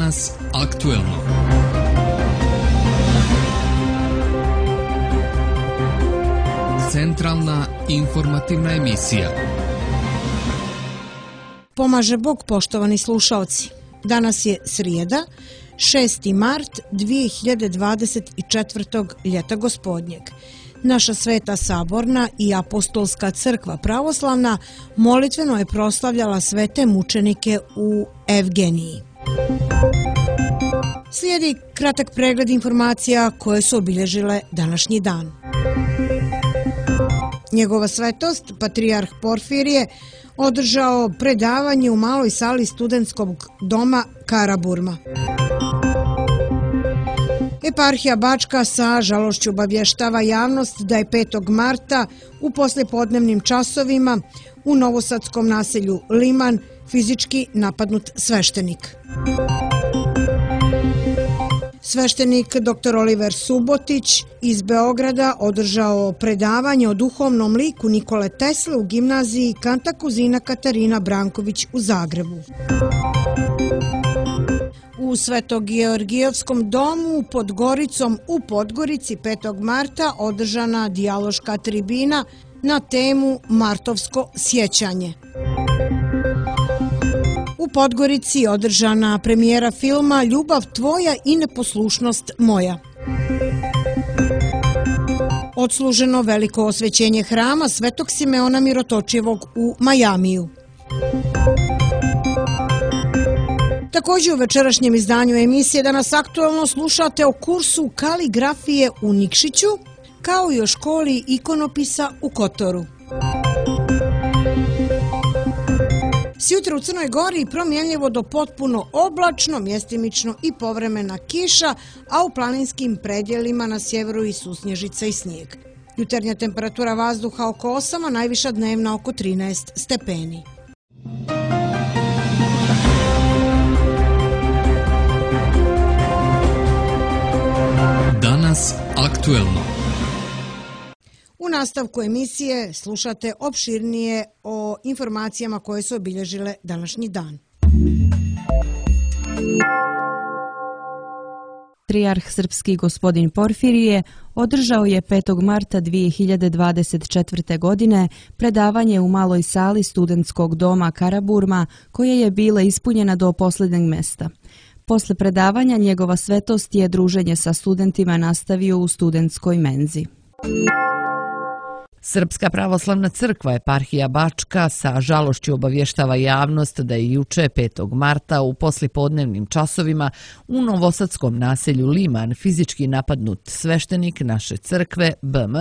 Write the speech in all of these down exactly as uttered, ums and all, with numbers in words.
Danas aktuelno. Centralna informativna emisija. Pomaže Bog, poštovani slušaoci. Danas je srijeda, šesti mart dvije hiljade dvadeset četvrte. ljeta gospodnjeg. Naša Sveta Saborna i Apostolska crkva pravoslavna molitveno je proslavljala svete mučenike u Evgeniji. Slijedi kratak pregled informacija koje su obilježile današnji dan. Njegova svetost, patrijarh Porfirije, održao predavanje u maloj sali studentskog doma Karaburma. Eparhija Bačka sa žalošću obavještava javnost da je petog marta u poslijepodnevnim časovima u novosadskom naselju Liman fizički napadnut sveštenik. Sveštenik doktor Oliver Subotić iz Beograda održao predavanje o duhovnom liku Nikole Tesle u gimnaziji Kantakuzina Katarina Branković u Zagrebu. U Svetogeorgijevskom domu pod Goricom u Podgorici petog marta održana dijaloška tribina na temu Martovsko sjećanje. U Podgorici održana premijera filma Ljubav tvoja i neposlušnost moja. Odsluženo veliko osvećenje hrama Svetog Simeona Mirotočivog u Majamiju. Također u večerašnjem izdanju emisije Danas aktuelno slušate o kursu kaligrafije u Nikšiću, kao i o školi ikonopisa u Kotoru. Sjutra u Crnoj Gori promjenljivo do potpuno oblačno, mjestimično i povremena kiša, a u planinskim predjelima na sjeveru i susnježica i snijeg. Jutarnja temperatura vazduha oko osam, a najviša dnevna oko trinaest stepeni. Danas aktuelno. U nastavku emisije slušate opširnije o informacijama koje su obilježile današnji dan. Patrijarh srpski gospodin Porfirije održao je petog marta dvije hiljade dvadeset četvrte. godine predavanje u maloj sali studentskog doma Karaburma, koja je bila ispunjena do posljednjeg mesta. Posle predavanja njegova svetost je druženje sa studentima nastavio u studentskoj menzi. Srpska pravoslavna crkva Eparhija Bačka sa žalošću obavještava javnost da je juče petog marta u poslijepodnevnim časovima u novosadskom naselju Liman fizički napadnut sveštenik naše crkve B M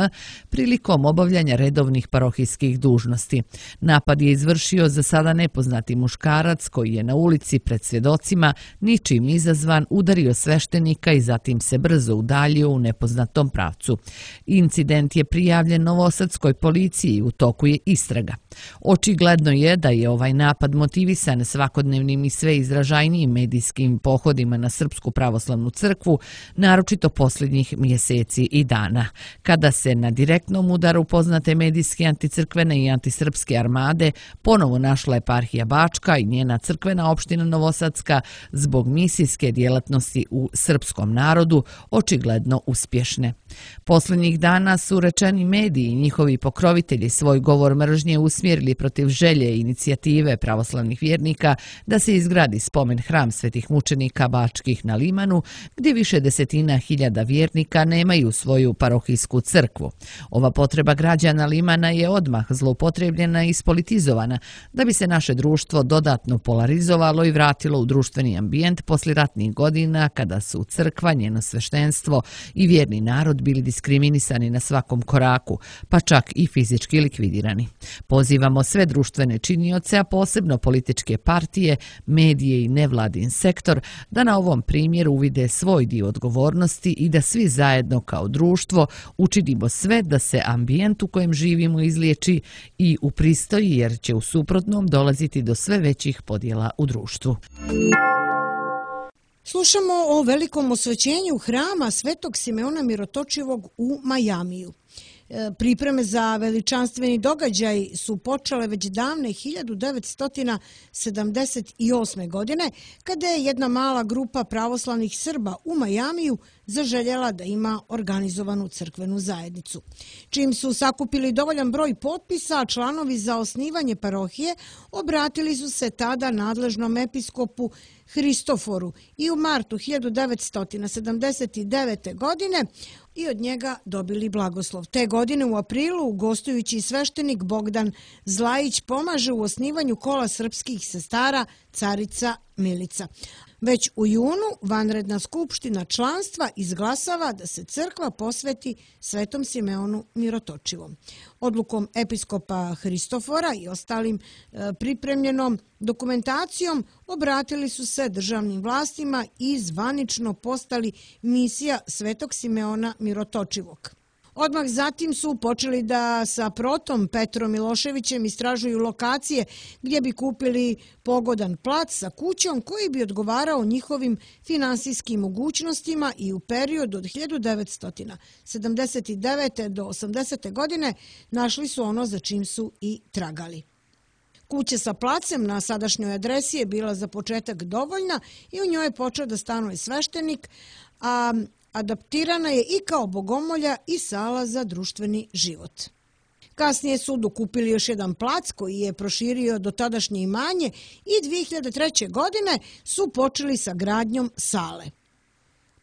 prilikom obavljanja redovnih parohijskih dužnosti. Napad je izvršio za sada nepoznati muškarac koji je na ulici pred svjedocima ničim izazvan udario sveštenika i zatim se brzo udaljio u nepoznatom pravcu. Incident je prijavljen novosadskoj policiji i u toku je istraga. Očigledno je da je ovaj napad motivisan svakodnevnim i sve izražajnijim medijskim pohodima na Srpsku pravoslavnu crkvu, naročito posljednjih mjeseci i dana, kada se na direktnom udaru poznate medijske anticrkvene i antisrpske armade ponovo našla Eparhija Bačka i njena crkvena opština Novosadska zbog misijske djelatnosti u srpskom narodu, očigledno uspješne. Posljednjih dana su rečeni mediji i njihovi pokrovitelji svoj govor mržnje usmjerili protiv želje i inicijative pravoslavnih vjernika da se izgradi spomen hram svetih mučenika Bačkih na Limanu, gdje više desetina hiljada vjernika nemaju svoju parohijsku crkvu. Ova potreba građana Limana je odmah zloupotrebljena i ispolitizovana da bi se naše društvo dodatno polarizovalo i vratilo u društveni ambijent posliratnih godina kada su crkva, njeno sveštenstvo i vjerni narod bili diskriminisani na svakom koraku, pa čak i fizički likvidirani. Pozivamo sve društvene činioce, a posebno političke partije, medije i nevladin sektor, da na ovom primjeru uvide svoj dio odgovornosti i da svi zajedno kao društvo učinimo sve da se ambijent u kojem živimo izliječi i upristoji, jer će u suprotnom dolaziti do sve većih podjela u društvu. Slušamo o velikom osvećenju hrama Svetog Simeona Mirotočivog u Majamiju. Pripreme za veličanstveni događaj su počele već davne hiljadu devetsto sedamdeset osme. godine, kada je jedna mala grupa pravoslavnih Srba u Majamiju zaželjela da ima organizovanu crkvenu zajednicu. Čim su sakupili dovoljan broj potpisa, članovi za osnivanje parohije obratili su se tada nadležnom episkopu Hristoforu i u martu hiljadu devetsto sedamdeset devete. godine i od njega dobili blagoslov. Te godine u aprilu gostujući sveštenik Bogdan Zlajić pomaže u osnivanju kola srpskih sestara Carica Milica. Već u junu vanredna skupština članstva izglasava da se crkva posveti Svetom Simeonu Mirotočivom. Odlukom episkopa Hristofora i ostalim e, pripremljenom dokumentacijom obratili su se državnim vlastima i zvanično postali misija Svetog Simeona Mirotočivog. Odmah zatim su počeli da sa protom Petrom Miloševićem istražuju lokacije gdje bi kupili pogodan plac sa kućom koji bi odgovarao njihovim finansijskim mogućnostima i u periodu od hiljadu devetsto sedamdeset devete. do osamdesete. godine našli su ono za čim su i tragali. Kuća sa placem na sadašnjoj adresi je bila za početak dovoljna i u njoj je počeo da stanuje sveštenik, a adaptirana je i kao bogomolja i sala za društveni život. Kasnije su dokupili još jedan plac koji je proširio do tadašnje imanje i dvije hiljade treće. godine su počeli sa gradnjom sale.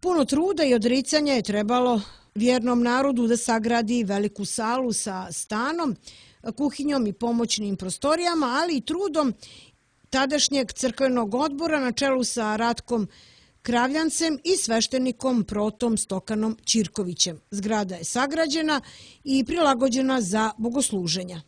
Puno truda i odricanja je trebalo vjernom narodu da sagradi veliku salu sa stanom, kuhinjom i pomoćnim prostorijama, ali i trudom tadašnjeg crkvenog odbora na čelu sa Ratkom Kravljancem i sveštenikom protom Stokanom Ćirkovićem. Zgrada je sagrađena i prilagođena za bogosluženja.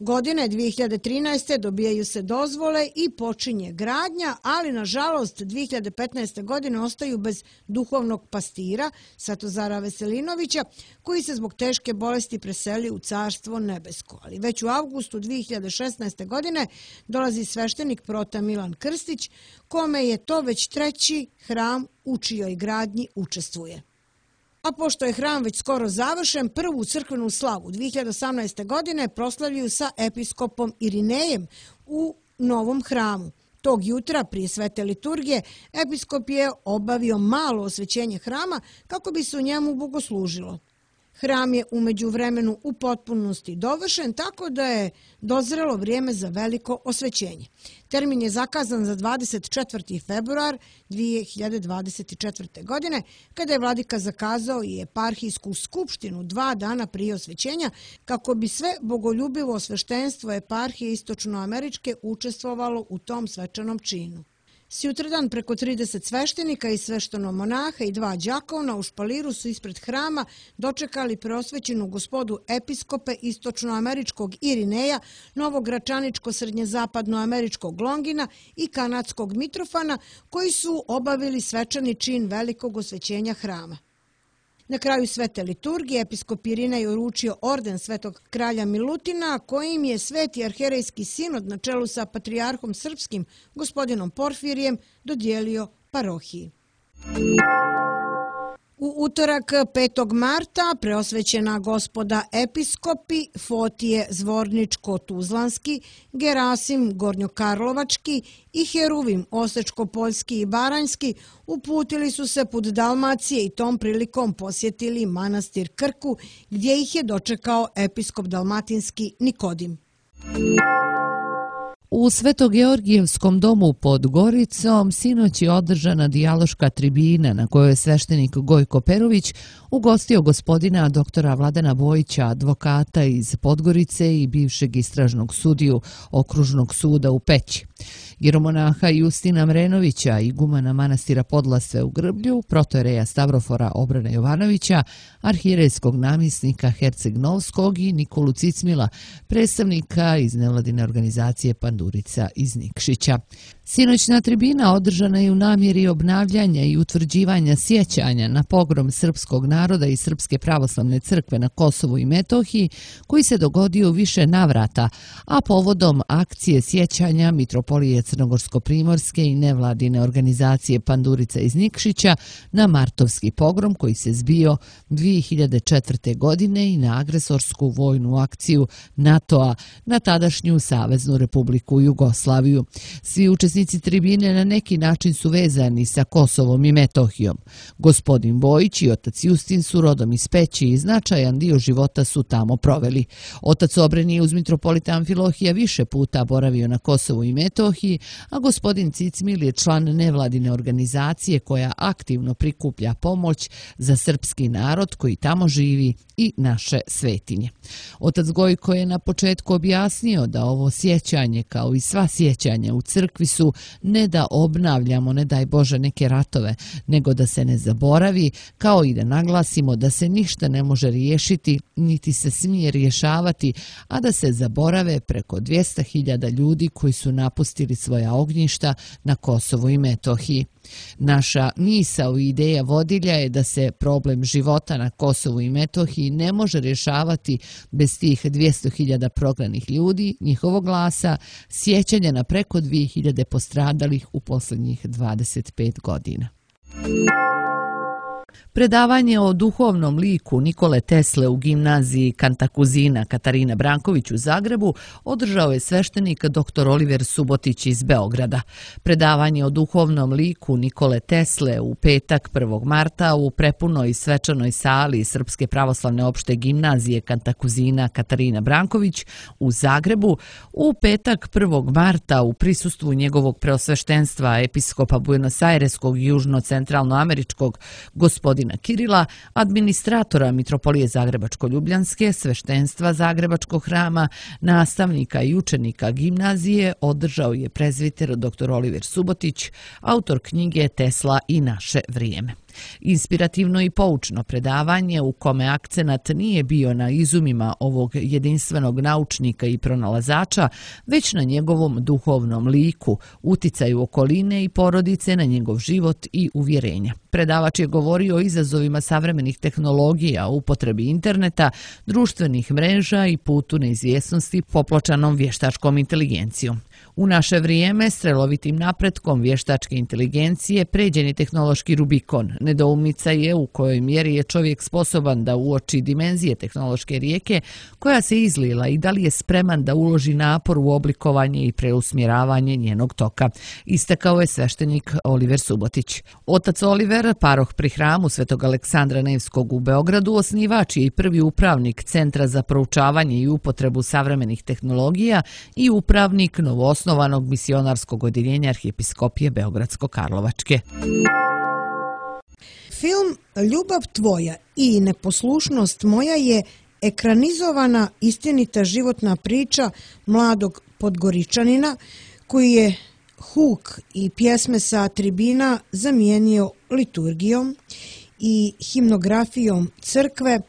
Godine dvije hiljade trinaeste. dobijaju se dozvole i počinje gradnja, ali nažalost dvije hiljade petnaeste. godine ostaju bez duhovnog pastira Svetozara Veselinovića, koji se zbog teške bolesti preseli u Carstvo nebesko. Ali već u avgustu dvije hiljade šesnaeste. godine dolazi sveštenik prota Milan Krstić, kome je to već treći hram u čijoj gradnji učestvuje. A pošto je hram već skoro završen, prvu crkvenu slavu dvije hiljade osamnaeste. godine proslavljuju sa episkopom Irinejem u novom hramu. Tog jutra prije svete liturgije episkop je obavio malo osvećenje hrama kako bi se u njemu bogoslužilo. Hram je u međuvremenu u potpunosti dovršen, tako da je dozrelo vrijeme za veliko osvećenje. Termin je zakazan za dvadeset četvrti februar dvije hiljade dvadeset četvrte. godine, kada je vladika zakazao i eparhijsku skupštinu dva dana prije osvećenja, kako bi sve bogoljubivo osveštenstvo eparhije istočnoameričke učestvovalo u tom svečanom činu. Sjutradan preko trideset sveštenika i sveštenomonaha i dva đakona u špaliru su ispred hrama dočekali preosvećenu gospodu episkope istočnoameričkog Irineja, novogračaničko-srednjezapadnoameričkog Longina i kanadskog Mitrofana, koji su obavili svečani čin velikog osvećenja hrama. Na kraju svete liturgije episkop Irinej je uručio orden svetog kralja Milutina, kojim je sveti arherejski sinod na čelu sa patrijarhom srpskim gospodinom Porfirijem dodijelio parohiji. U utorak petog marta preosvećena gospoda episkopi Fotije Zvorničko-Tuzlanski, Gerasim Gornjokarlovački i Heruvim Osečko-Poljski i Baranjski uputili su se put Dalmacije i tom prilikom posjetili manastir Krku, gdje ih je dočekao episkop dalmatinski Nikodim. U Svetogeorgijevskom domu pod Goricom sinoć je održana dijaloška tribina na kojoj je sveštenik Gojko Perović ugostio gospodina doktora Vladana Bojića, advokata iz Podgorice i bivšeg istražnog sudiju Okružnog suda u Peći. Jeromonaha Justina Mrenovića, igumana manastira Podlasve u Grblju, protojereja Stavrofora Obrana Jovanovića, arhirejskog namjesnika Herceg Novskog i Nikolu Cicmila, predstavnika iz nevladine organizacije Pan Pandurica iz Nikšića. Sinoćna tribina održana je u namjeri obnavljanja i utvrđivanja sjećanja na pogrom srpskog naroda i Srpske pravoslavne crkve na Kosovu i Metohiji, koji se dogodio u više navrata, a povodom akcije sjećanja Mitropolije Crnogorsko-primorske i nevladine organizacije Pandurica iz Nikšića na martovski pogrom koji se zbio dvije hiljade četvrte. godine i na agresorsku vojnu akciju NATO-a na tadašnju Saveznu Republiku Jugoslaviju. Svi učesnici tribine na neki način su vezani sa Kosovom i Metohijom. Gospodin Bojić i otac Justin su rodom iz Peći i značajan dio života su tamo proveli. Otac Obren je uz mitropolita Amfilohija više puta boravio na Kosovu i Metohiji, a gospodin Cicmil je član nevladine organizacije koja aktivno prikuplja pomoć za srpski narod koji tamo živi i naše svetinje. Otac Gojko je na početku objasnio da ovo sjećanje, kao i sva sjećanja u crkvi, su ne da obnavljamo, ne daj Bože, neke ratove, nego da se ne zaboravi, kao i da naglasimo da se ništa ne može riješiti, niti se smije rješavati, a da se zaborave preko dvjesto hiljada ljudi koji su napustili svoja ognjišta na Kosovu i Metohiji. Naša misao i ideja vodilja je da se problem života na Kosovu i Metohiji ne može rješavati bez tih dvjesto hiljada prognanih ljudi, njihovog glasa, sjećanja na preko dvije hiljade postradalih u posljednjih dvadeset pet godina. Predavanje o duhovnom liku Nikole Tesle u gimnaziji Kantakuzina Katarina Branković u Zagrebu održao je sveštenik doktor Oliver Subotić iz Beograda. Predavanje o duhovnom liku Nikole Tesle u petak prvog marta u prepunoj svečanoj sali Srpske pravoslavne opšte gimnazije Kantakuzina Katarina Branković u Zagrebu, u petak prvog marta u prisustvu njegovog preosveštenstva episkopa Buenos Aireskog i južno-centralnoameričkog gospodina Kirila, administratora Mitropolije Zagrebačko-Ljubljanske, sveštenstva Zagrebačkog hrama, nastavnika i učenika gimnazije, održao je prezviter doktor Oliver Subotić, autor knjige Tesla i naše vrijeme. Inspirativno i poučno predavanje u kome akcenat nije bio na izumima ovog jedinstvenog naučnika i pronalazača, već na njegovom duhovnom liku, uticaju okoline i porodice na njegov život i uvjerenja. Predavač je govorio o izazovima savremenih tehnologija, upotrebi interneta, društvenih mreža i putu neizvjesnosti popločanom vještačkom inteligencijom. U naše vrijeme, strelovitim napretkom vještačke inteligencije, pređen je tehnološki Rubikon. Nedoumica je u kojoj mjeri je čovjek sposoban da uoči dimenzije tehnološke rijeke koja se izlila i da li je spreman da uloži napor u oblikovanje i preusmjeravanje njenog toka, istakao je sveštenik Oliver Subotić. Otac Oliver, paroh pri hramu Svetog Aleksandra Nevskog u Beogradu, osnivač je i prvi upravnik Centra za proučavanje i upotrebu savremenih tehnologija i upravnik novoosnovanog misionarskog odjeljenja Arhijepiskopije Beogradsko-Karlovačke. Film Ljubav tvoja i neposlušnost moja je ekranizovana istinita životna priča mladog Podgoričanina koji je huk i pjesme sa tribina zamijenio liturgijom i himnografijom crkve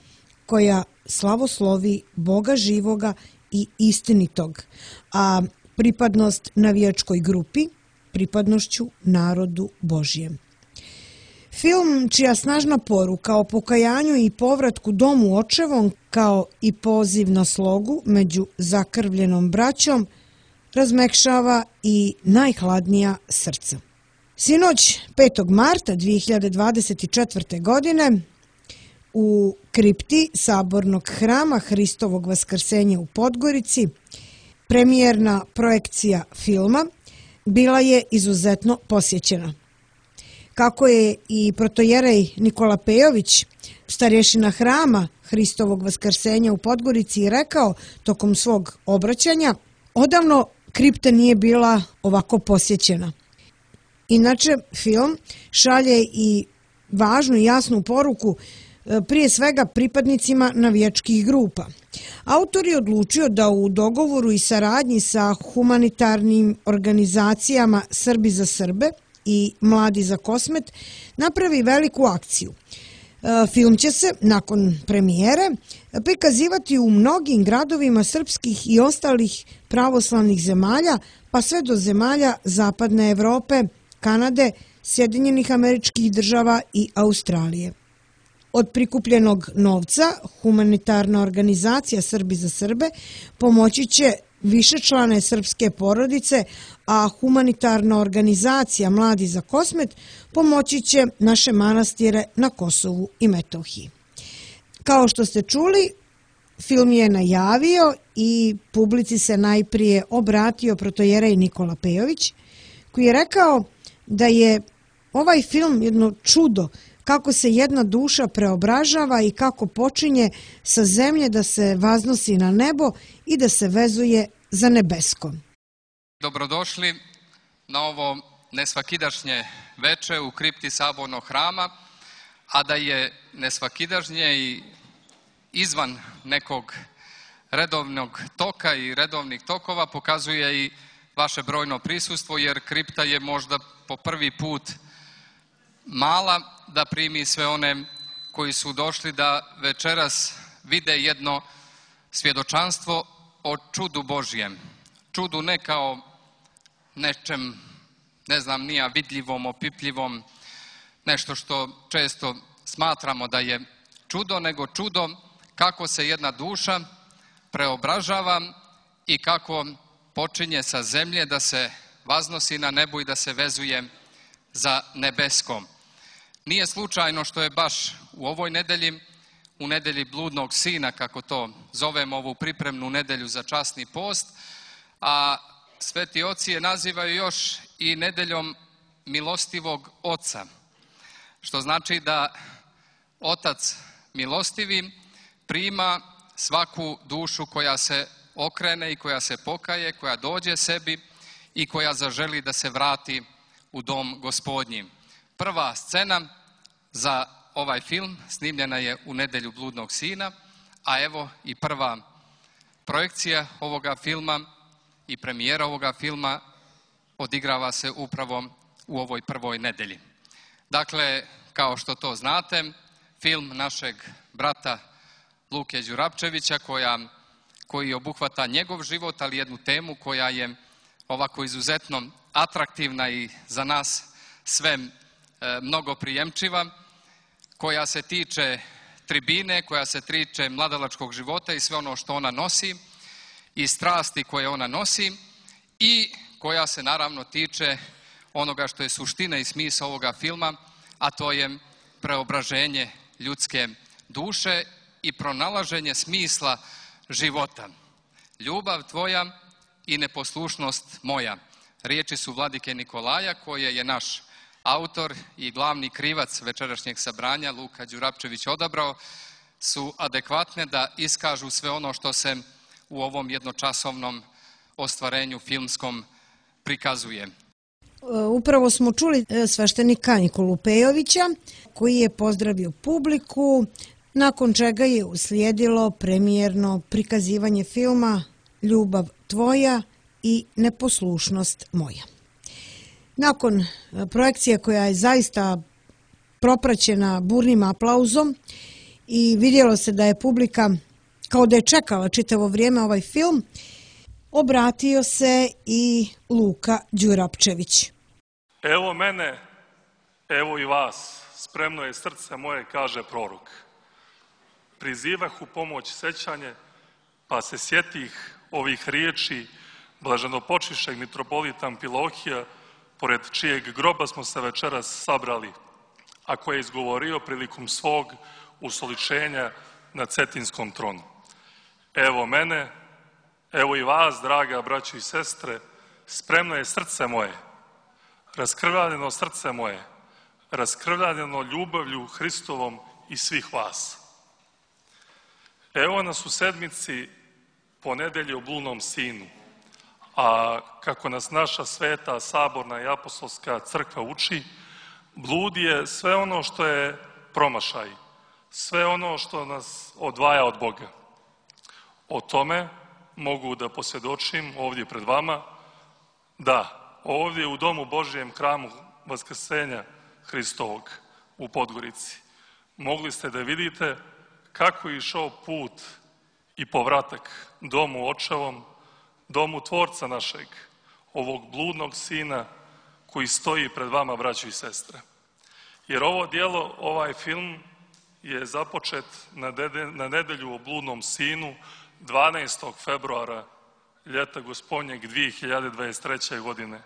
koja slavoslovi Boga živoga i istinitog, a pripadnost navijačkoj grupi pripadnošću narodu Božjem. Film čija snažna poruka o pokajanju i povratku domu očevom, kao i poziv na slogu među zakrvljenom braćom, razmekšava i najhladnija srca. Sinoć, petog marta dvije hiljade dvadeset četvrte. godine, u kripti Sabornog hrama Hristovog vaskrsenja u Podgorici, premijerna projekcija filma bila je izuzetno posjećena. Kako je i protojerej Nikola Pejović, starješina hrama Hristovog vaskrsenja u Podgorici, rekao tokom svog obraćanja, odavno kripta nije bila ovako posjećena. Inače, film šalje i važnu i jasnu poruku prije svega pripadnicima navijačkih grupa. Autor je odlučio da u dogovoru i saradnji sa humanitarnim organizacijama Srbi za Srbe i Mladi za Kosmet napravi veliku akciju. Film će se, nakon premijere, prikazivati u mnogim gradovima srpskih i ostalih pravoslavnih zemalja, pa sve do zemalja Zapadne Evrope, Kanade, Sjedinjenih Američkih Država i Australije. Od prikupljenog novca humanitarna organizacija Srbi za Srbe pomoći će višečlane srpske porodice, a humanitarna organizacija Mladi za Kosmet pomoći će naše manastire na Kosovu i Metohiji. Kao što ste čuli, film je najavio i publici se najprije obratio protojerej Nikola Pejović, koji je rekao da je ovaj film jedno čudo kako se jedna duša preobražava i kako počinje sa zemlje da se vaznosi na nebo i da se vezuje za nebesko. Dobrodošli na ovo nesvakidašnje veče u kripti Sabornog hrama, a da je nesvakidašnje i izvan nekog redovnog toka i redovnih tokova pokazuje i vaše brojno prisustvo, jer kripta je možda po prvi put mala da primi sve one koji su došli da večeras vide jedno svjedočanstvo o čudu Božjem. Čudu ne kao nečem, ne znam, nija vidljivom, opipljivom, nešto što često smatramo da je čudo, nego čudo kako se jedna duša preobražava i kako počinje sa zemlje da se vaznosi na nebu i da se vezuje za nebesko. Nije slučajno što je baš u ovoj nedelji, u nedelji bludnog sina, kako to zovemo, ovu pripremnu nedelju za časni post, a sveti oci je nazivaju još i nedeljom milostivog oca, što znači da otac milostivi prima svaku dušu koja se okrene i koja se pokaje, koja dođe sebi i koja zaželi da se vrati u dom Gospodnji. Prva scena za ovaj film snimljena je u nedelju bludnog sina, a evo i prva projekcija ovoga filma i premijera ovoga filma odigrava se upravo u ovoj prvoj nedelji. Dakle, kao što to znate, film našeg brata Luke Đurapčevića koja, koji obuhvata njegov život, ali jednu temu koja je ovako izuzetno atraktivna i za nas sve mnogo prijemčiva, koja se tiče tribine, koja se tiče mladalačkog života i sve ono što ona nosi i strasti koje ona nosi i koja se naravno tiče onoga što je suština i smisao ovoga filma, a to je preobraženje ljudske duše i pronalaženje smisla života. Ljubav tvoja i neposlušnost moja. Riječi su vladike Nikolaja, koje je naš autor i glavni krivac večerašnjeg sabranja, Luka Đurapčević, odabrao, su adekvatne da iskažu sve ono što se u ovom jednočasovnom ostvarenju filmskom prikazuje. Upravo smo čuli sveštenika Nikolu Pejovića, koji je pozdravio publiku, nakon čega je uslijedilo premijerno prikazivanje filma Ljubav tvoja i neposlušnost moja. Nakon projekcije koja je zaista propraćena burnim aplauzom i vidjelo se da je publika, kao da je čekala čitavo vrijeme ovaj film, obratio se i Luka Đurapčević. Evo mene, evo i vas, spremno je srce moje, kaže prorok. Prizivah u pomoć sećanje, pa se sjetih ovih riječi blaženopočišćeg mitropolita Amfilohija, pored čijeg groba smo se večeras sabrali, a koje je izgovorio prilikom svog usoličenja na Cetinskom tronu. Evo mene, evo i vas, draga braćo i sestre, spremno je srce moje, raskrvljeno srce moje, raskrvljeno ljubavlju Hristovom i svih vas. Evo nas u sedmici po nedelji o bludnom sinu, a kako nas naša sveta, saborna i apostolska crkva uči, blud je sve ono što je promašaj, sve ono što nas odvaja od Boga. O tome mogu da posvjedočim ovdje pred vama, da ovdje u Domu Božijem, hramu Vaskrsenja Hristovog u Podgorici, mogli ste da vidite kako je išao put i povratak domu očevom, domu Tvorca našeg, ovog bludnog sina koji stoji pred vama, braćo i sestre. Jer ovo dijelo, ovaj film je započet na nedelju o bludnom sinu dvanaestog februara ljeta gospodnjeg dvije hiljade dvadeset treće. godine,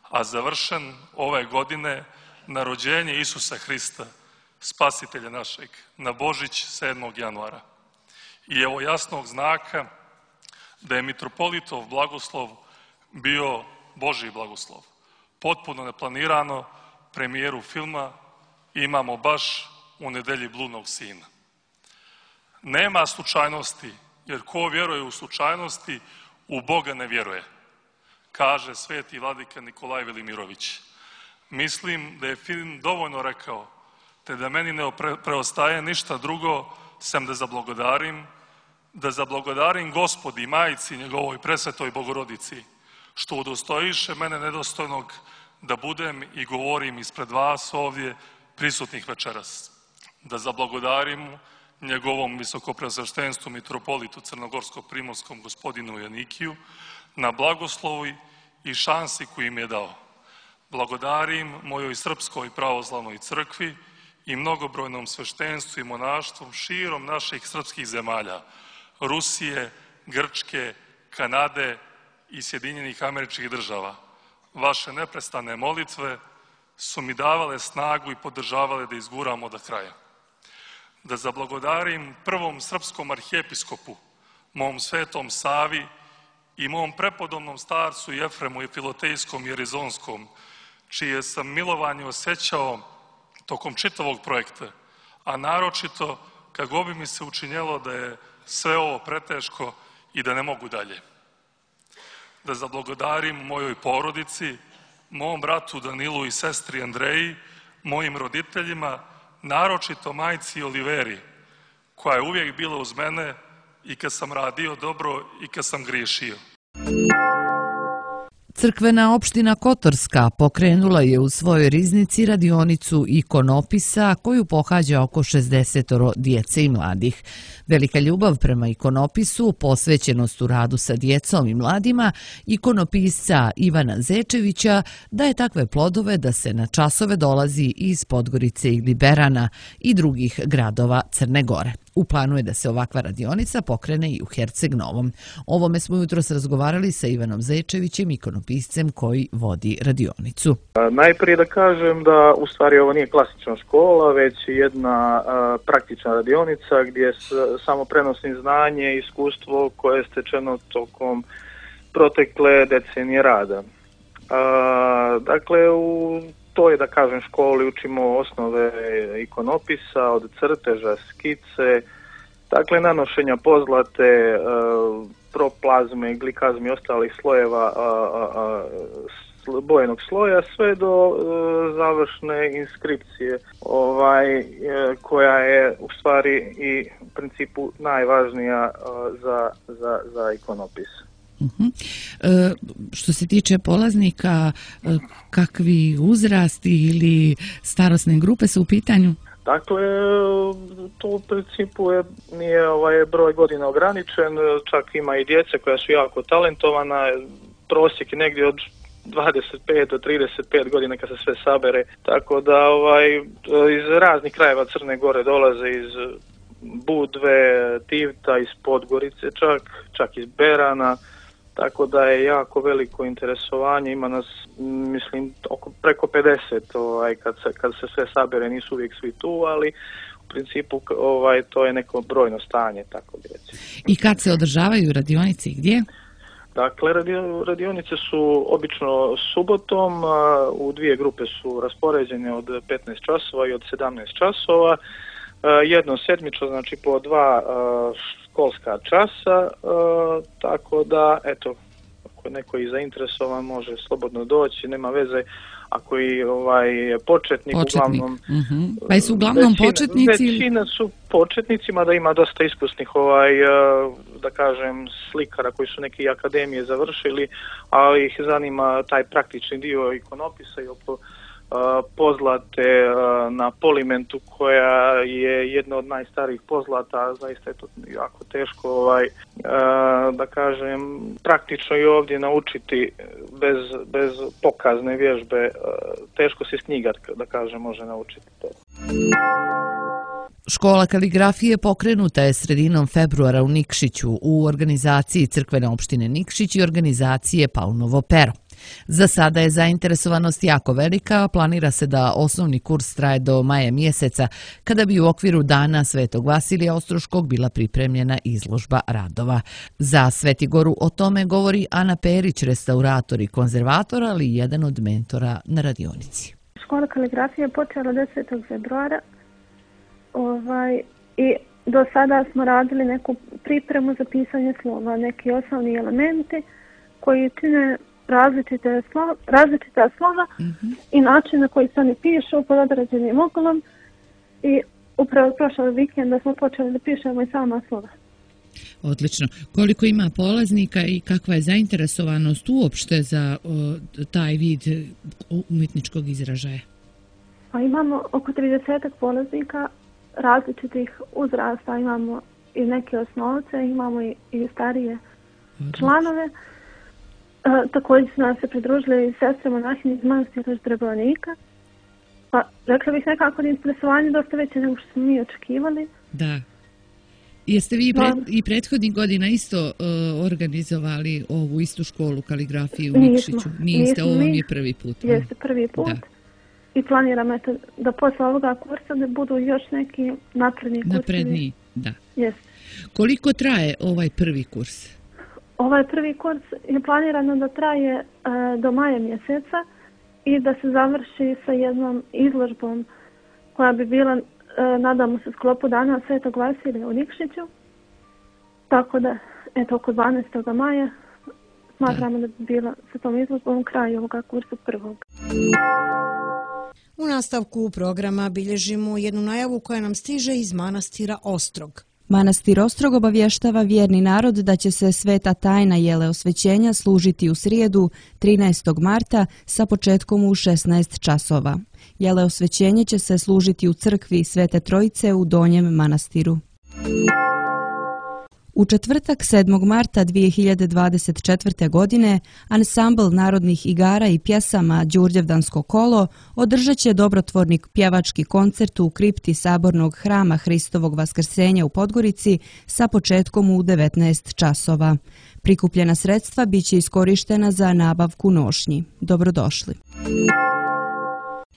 a završen ove godine na rođenje Isusa Hrista, spasitelja našeg, na Božić sedmog januara. I evo jasnog znaka da je mitropolitov blagoslov bio Božji blagoslov. Potpuno neplanirano premijeru filma imamo baš u nedelji bludnog sina. Nema slučajnosti, jer ko vjeruje u slučajnosti, u Boga ne vjeruje, kaže sveti vladika Nikolaj Velimirović. Mislim da je film dovoljno rekao, te da meni ne preostaje ništa drugo sem da zablagodarim, da zablagodarim Gospodi, Majici njegovoj presvetoj Bogorodici, što udostojiše mene nedostojnog da budem i govorim ispred vas ovdje prisutnih večeras. Da zablagodarim njegovom visokopreosveštenstvu mitropolitu crnogorsko-primorskom gospodinu Janikiju na blagoslovi i šansi koju im je dao. Blagodarim mojoj Srpskoj pravoslavnoj crkvi i mnogobrojnom sveštenstvu i monaštvom širom naših srpskih zemalja, Rusije, Grčke, Kanade i Sjedinjenih Američkih Država. Vaše neprestane molitve su mi davale snagu i podržavale da izguramo do kraja. Da zablagodarim prvom srpskom arhijepiskopu, mom svetom Savi i mom prepodobnom starcu Jefremu i Filotejskom i Jerizonskom, čije sam milovanje osjećao tokom čitavog projekta, a naročito kako bi mi se učinjelo da je sve ovo preteško i da ne mogu dalje. Da zablagodarim mojoj porodici, mom bratu Danilu i sestri Andreji, mojim roditeljima, naročito majci Oliveri, koja je uvijek bila uz mene i kad sam radio dobro i kad sam griješio. Crkvena opština Kotorska pokrenula je u svojoj riznici radionicu ikonopisa koju pohađa oko šezdeset djece i mladih. Velika ljubav prema ikonopisu, posvećenost u radu sa djecom i mladima, ikonopisca Ivana Zečevića daje takve plodove da se na časove dolazi iz Podgorice ili Berana i drugih gradova Crne Gore. U planu je da se ovakva radionica pokrene i u Herceg Novom. Ovome smo jutros razgovarali sa Ivanom Zečevićem, ikonopiscem koji vodi radionicu. Najprije da kažem da u stvari ovo nije klasična škola, već jedna a, praktična radionica gdje s, samo prenosim znanje i iskustvo koje je stečeno tokom protekle decenije rada. A, dakle, u toj, da kažem, školi učimo osnove ikonopisa, od crteža, skice, dakle nanošenja pozlate, proplazme, glikazme i ostalih slojeva bojenog sloja, sve do završne inskripcije, ovaj, koja je u stvari i u principu najvažnija za, za, za ikonopis. Uh-huh. E, što se tiče polaznika, kakvi uzrasti ili starosne grupe su u pitanju? Dakle, to u principu je, nije ovaj broj godina ograničen, čak ima i djece koja su jako talentovana, prosjek je negdje od dvadeset pet do trideset pet godina kad se sve sabere, tako da ovaj, iz raznih krajeva Crne Gore dolaze, iz Budve, Tivta, iz Podgorice čak, čak iz Berana, tako da je jako veliko interesovanje, ima nas, mislim, oko preko pedeset, ovaj, kad se, kad se sve sabere, nisu uvijek svi tu, ali u principu ovaj, to je neko brojno stanje, tako bi reći. I kad se održavaju radionice i gdje? Dakle, radio, radionice su obično subotom, a, u dvije grupe su raspoređene od petnaest časova i od sedamnaest časova, a, jedno sedmično, znači po dva a, školska časa, a, tako da, eto, ako neko je zainteresovan, može slobodno doći, nema veze, ako i ovaj, početnik, početnik. Uglavnom... Uh-huh. Pa su uglavnom većina, početnici? Većina su početnicima, da ima dosta iskusnih, ovaj, da kažem, slikara koji su neke akademije završili, ali ih zanima taj praktični dio ikonopisa i oko pozlate na Polimentu koja je jedna od najstarijih pozlata, zaista je to jako teško ovaj, da kažem praktično i ovdje naučiti bez, bez pokazne vježbe, teško se s knjiga da kažem može naučiti to. Škola kaligrafije pokrenuta je sredinom februara u Nikšiću u organizaciji Crkvene opštine Nikšić i organizacije Paunovo pero. Za sada je zainteresovanost jako velika, planira se da osnovni kurs traje do maja mjeseca, kada bi u okviru Dana Svetog Vasilija Ostroškog bila pripremljena izložba radova. Za Svetigoru o tome govori Ana Perić, restaurator i konzervator, ali i jedan od mentora na radionici. Škola kaligrafije je počela desetog februara ovaj, i do sada smo radili neku pripremu za pisanje slova, neki osnovni elementi koji čine različite slova, različita slova mm-hmm. i način na koji se oni pišu pod određenim uglom i upravo prošlog vikenda smo počeli da pišemo i sama slova. Odlično. Koliko ima polaznika i kakva je zainteresovanost uopšte za o, taj vid umjetničkog izražaja? Pa imamo oko trideset polaznika različitih uzrasta, imamo i neke osnovce, imamo i, i starije Odlično. članove. E, također su nam se pridružili i sestre monahinje iz manastira Ždreblanika. Pa rekla bih nekako da interesovanje dosta veće nego što smo mi očekivali. Da. Jeste vi pred, i prethodnih godina isto uh, organizovali ovu istu školu kaligrafije u Nikšiću? Niste, ovo vam je prvi put. Jeste prvi put. Da. I planiramo eto, da posle ovoga kursa da budu još neki napredni kursi. Napredniji, da. Jeste. Koliko traje ovaj prvi kurs? Ovaj prvi kurs je planirano da traje uh, do maja mjeseca i da se završi sa jednom izložbom koja bi bila, uh, nadamo se, sklopu Dana Svetog Vasilija u Nikšiću. Tako da, eto, oko dvanaestog maja smatramo da, da bi bila sa tom izložbom kraj ovoga kursa prvog. U nastavku programa bilježimo jednu najavu koja nam stiže iz manastira Ostrog. Manastir Ostrog obavještava vjerni narod da će se sveta tajna jeleosvećenja služiti u srijedu trinaestog marta sa početkom u šesnaest časova. Jeleosvećenje će se služiti u crkvi Svete Trojice u Donjem manastiru. U četvrtak sedmog marta dvije hiljade dvadeset četvrte. godine ansambl narodnih igara i pjesama Đurđevdansko kolo održat će dobrotvorni pjevački koncert u kripti Sabornog hrama Hristovog Vaskrsenja u Podgorici sa početkom u devetnaest časova. Prikupljena sredstva biće iskorištena za nabavku nošnji. Dobrodošli.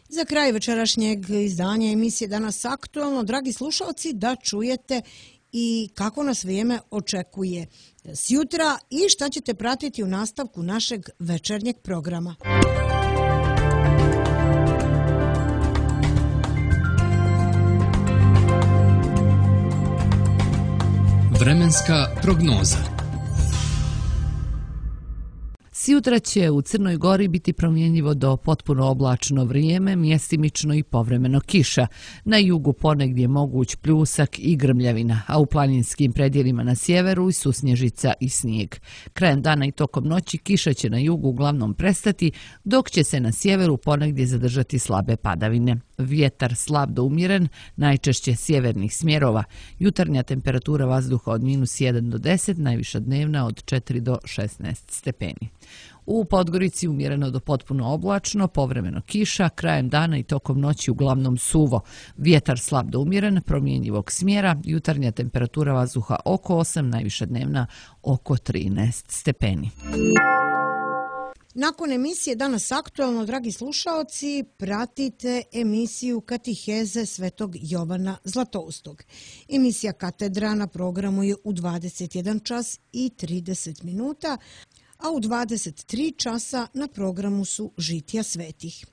Za kraj večerašnjeg izdanja emisije Danas aktualno, dragi slušalci, da čujete i kako nas vrijeme očekuje sjutra i šta ćete pratiti u nastavku našeg večernjeg programa. Vremenska prognoza. Sjutra će u Crnoj Gori biti promjenjivo do potpuno oblačno vrijeme, mjestimično i povremeno kiša. Na jugu ponegdje moguć pljusak i grmljavina, a u planinskim predjelima na sjeveru i susnježica i snijeg. Krajem dana i tokom noći kiša će na jugu uglavnom prestati, dok će se na sjeveru ponegdje zadržati slabe padavine. Vjetar slab do umjeren, najčešće sjevernih smjerova. Jutarnja temperatura vazduha od minus jedan do deset, najviša dnevna od četiri do šesnaest stepeni. U Podgorici umjereno do potpuno oblačno, povremeno kiša, krajem dana i tokom noći uglavnom suvo. Vjetar slab do umjeren, promjenjivog smjera, jutarnja temperatura vazduha oko osam, najviša dnevna oko trinaest stepeni. Nakon emisije Danas aktualno, dragi slušaoci, pratite emisiju Katiheze Svetog Jovana Zlatoustog. Emisija Katedra na programu je u dvadeset jedan čas i trideset minuta, a u dvadeset tri časa na programu su Žitija svetih.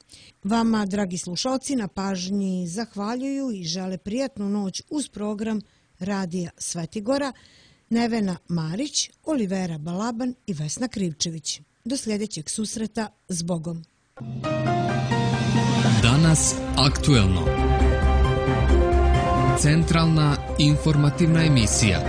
Vama, dragi slušalci, na pažnji zahvaljuju i žele prijatnu noć uz program Radija Svetigora Nevena Marić, Olivera Balaban i Vesna Krivčević. Do sljedećeg susreta, s Bogom. Danas aktuelno. Centralna informativna emisija.